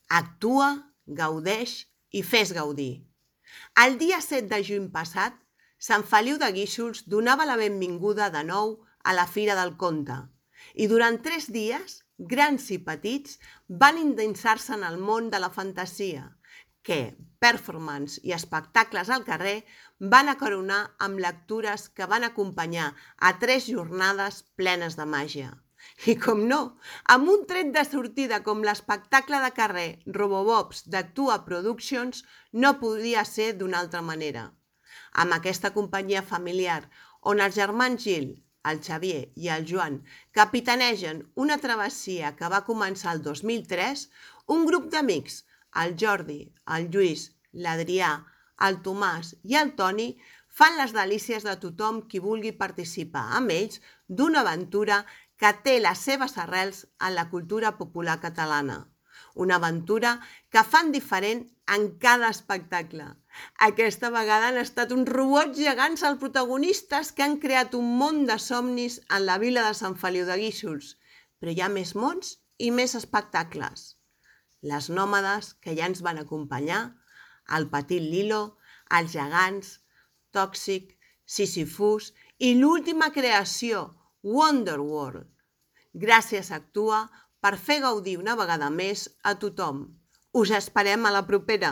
Actua, gaudeix i fes gaudir. El dia 7 de juny passat, Sant Feliu de Guíxols donava la benvinguda de nou a la Fira del Conte i durant 3 dies, grans i petits van endinsar-se en el món de la fantasia, que performance i espectacles al carrer van acaronar amb lectures que van acompanyar a 3 jornades plenes de màgia. I com no, amb un tret de sortida com l'espectacle de carrer Robobobs d'Actua Productions no podia ser d'una altra manera. Amb aquesta companyia familiar on els germans Gil, el Xavier i el Joan capitanegen una travessia que va començar el 2003, un grup d'amics, el Jordi, el Lluís, l'Adrià, el Tomàs i el Toni, fan les delícies de tothom qui vulgui participar amb ells d'una aventura que té les seves arrels en la cultura popular catalana. Una aventura que fan diferent en cada espectacle. Aquesta vegada han estat uns robots gegants els protagonistes que han creat un món de somnis en la vila de Sant Feliu de Guíxols. Però hi ha més mons i més espectacles. Les nòmades que ja ens van acompanyar, el petit Lilo, els gegants, Tòxic, Sísifus i l'última creació, Wonderworld. Gràcies a Actua per fer gaudir una vegada més a tothom. Us esperem a la propera!